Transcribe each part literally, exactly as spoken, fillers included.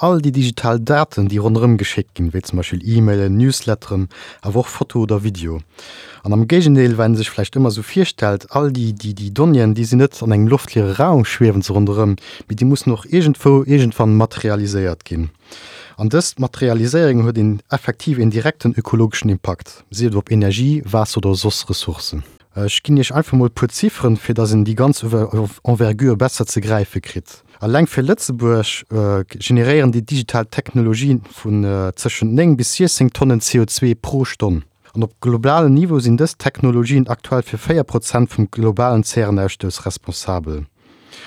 All déi digital Daten, déi ronderëm geschéckt ginn, wéi zum Beispill E-Mailen, Newsletteren, awer och Foto oder Video. An am Géigendeel, wat een sech vläicht ëmmer esou virstellt, all déi, déi, déi Donnéeën, déi sinn net an engem loftleere Raum, schwiewen se ronderëm, mee déi mussen och iergendwou iergendwann materialiséiert ginn. An dës Materialiséierung huet een effektiv een direkten ökologeschen Impakt, sief et op Energie, Waasser oder soss Ressourcen. Ech ginn Iech einfach mol e puer Zifferen, fir dass een déi ganz Envergure besser ze gräife kritt. Alleng fir Lëtzebuerg generéieren déi digital Technologien vun tëschent néng bis siechzéng Tonnen C O zwee pro Stonn. An op globalem Niveau sinn dës Technologien aktuell fir véier Prozent vum globalen Zärenausstouss responsabel.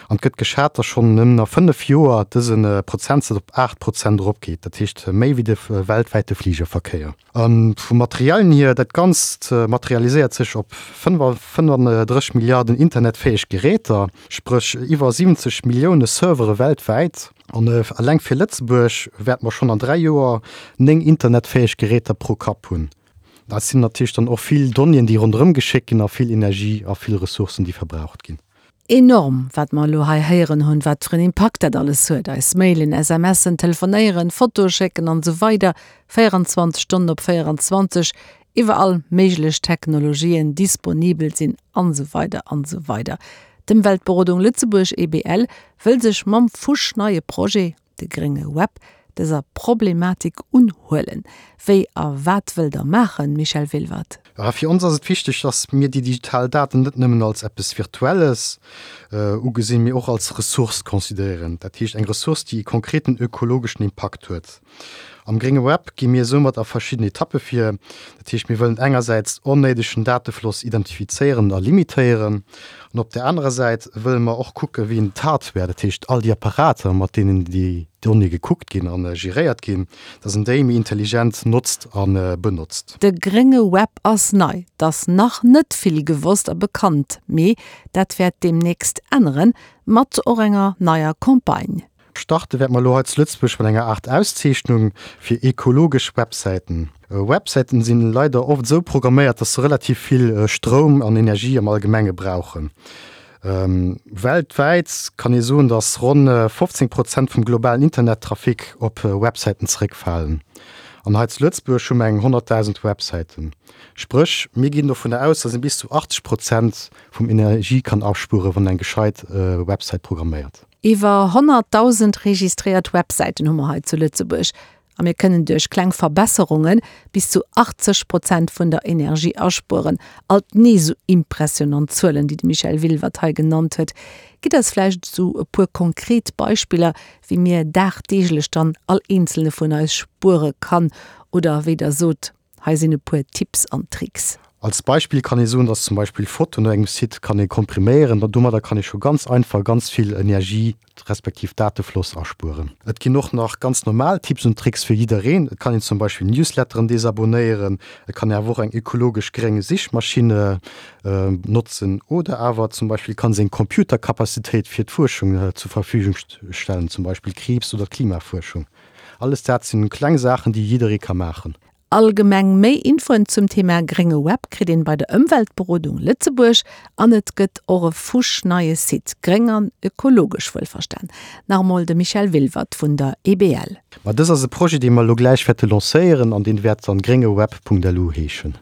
An et gëtt geschat, dass schonn nëmmen a fënnef Joer dëse Prozentsaz op aacht Prozent eropgeet, dat heescht méi wéi de weltwäite Fligerverkéier. A vum Materiellen hier, dat Ganzt materialiséiert sech op fënnefandrësseg Milliarden internetfäeg Geräter, spréch iwwer siwwenzeg Millioune Servere weltwäit. An eleng fir Lëtzebuerg wäerte mer schonn an dräi Joer néng internetfäeg Geräter pro Kapp hunn. Dat sinn natierlech dann och vill Donnéeën, déi ronderëm geschéckt ginn a vill Energie a vill Ressourcen, déi verbraucht ginn. Enorm, wat mer elo hei héieren hunn, wat fir en Impakt dat alles huet, eis Mailen, SMSen, Telefonéieren, Fotoe schécken an esou weider, véierundzwanzeg Stonnen op véierundzwanzeg, iwwer all méiglech Technologien disponibel sinn an esou weider an esou weider. D'Ëmweltberodung Lëtzebuerg, E B L, wëll sech mam fuschneie Projet, de grénge Web, dëser Problematik unhuelen. Wéi a wat wëllt Der maachen, Michel Wilwert? Ja, fir ons ass et wichteg, dass mir déi digital Daten net nëmmen als eppes Virtuelles ugesinn, mee och als Ressource consideréieren. Dat heescht eng Ressource, déi e konkreten ökologeschen Impakt huet. Am grénge Web gi mir soumat a verschidden Etappe vir. Dat heescht, mir wëllen engersäits onnéidegen Datefloss identifizéieren a limitéieren. An op der anerer Säit wëlle mer och kucke wéi een d'Hardware, dat heescht all déi Apparater, mat deenen déi Donnéeë gekuckt ginn an geréiert ginn, dass een déi méi intelligent notzt a benotzt. De grénge Web ass nei, 't ass nach net vill gewosst a bekannt, mee dat wäert deemnächst änneren, mat och enger neier Campagne. Starte wäerte mer elo hei zu Lëtzebuerg mat enger Aart Auszeechnung fir ekologesch Websäiten. Websäiten sinn leider oft esou programméiert, dass se relativ vill Stroum an Energie am Allgemenge brauchen. Weltwäit kann ee soen, dass ronn fofzéng Prozent vum globalen Internettrafic op Websäiten zeréckfalen. An hei zu Lëtzebuerg hu mer eng honnertdausend Websäiten. Spréch, mir ginn dovunner aus, dass ee bis zu achtzeg Prozent vum Energie kann aspueren, wann eng gescheit Websäit programméiert. Iwwer honnertdausend registréiert Websäiten hu mer hei zu Lëtzebuerg. A mir kënnen duerch kleng Verbesserunge bis zu achtzeg Prozent vun der Energie aspueren. Alt nees esou impressionant Zuelen, déi de Michel Wilwert hei genannt huet. Gitt eis vläicht esou e puer konkret Beispiller, wéi mir dagdeeglech dann all eenzelne vun eis spuere kann oder wéi Der sot, hei sinn e puer Tipps an Tricks. Als Beispill kann ee soen, dass zum Beispill Fotoen op engem Site kann ee kompriméieren, domadder kann ee scho ganz einfach ganz vill Energie respektiv Datefloss aspueren. Et ginn och nach ganz normal Tipps und Tricks fir jiddereen. Et kann een zum Beispill Newsletteren desabonnéieren, et kann ee awer och eng ökologesch gréng Sichmaschinn notzen oder awer zum Beispill kann seng Computerkapazitéit fir d'Fuerschung zur Verfügung stellen, zum Beispill Kriibs oder Klimafuerschung. Alles dat sinn kleng Saachen, déi jidderee ka maachen. Allgemeng méi Infoen zum Thema grénge Web kritt een bei der Ëmweltberodung Lëtzebuerg an et gëtt och e fuschneie Site, gréng an ökologesch wuelverstan. Nach emol de Michel Wilwert vun der E B L. Ma dës ass e Projet, dee mer elo gläich wäerte lancéieren an dee wäert dann gréngeweb punkt L U heeschen.